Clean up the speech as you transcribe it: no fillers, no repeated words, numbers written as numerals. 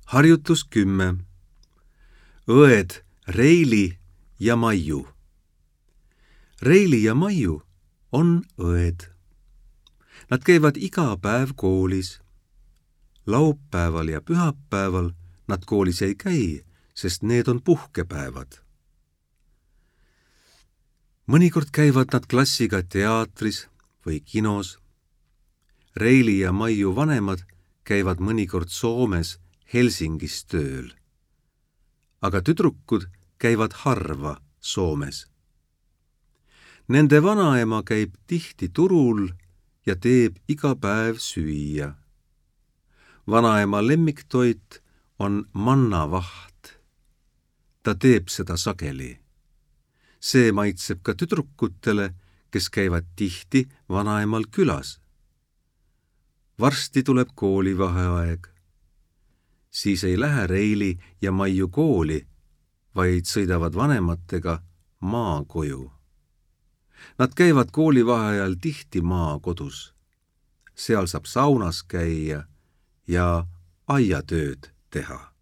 Harjutus 10. Õed Reili ja Maiu. Reili ja Maiu on õed. Nad käivad iga päev koolis. Laupäeval ja pühapäeval nad koolis ei käi, sest need on puhkepäevad. Mõnikord käivad nad klassiga teatris või kinos. Reili ja Maiu vanemad käivad mõnikord Soomes Helsingis tööl. Aga tüdrukud käivad harva Soomes. Nende vanaema käib tihti turul ja teeb iga päev süüa. Vanaema lemmiktoit on mannavaht. Ta teeb seda sageli. See maitseb ka tüdrukutele, kes käivad tihti vanaemal külas. Varsti tuleb koolivaheaeg. Siis ei lähe Reili ja Maiu kooli, vaid sõidavad vanematega maakoju. Nad käivad koolivaheajal tihti maakodus. Seal saab saunas käia ja aiatööd teha.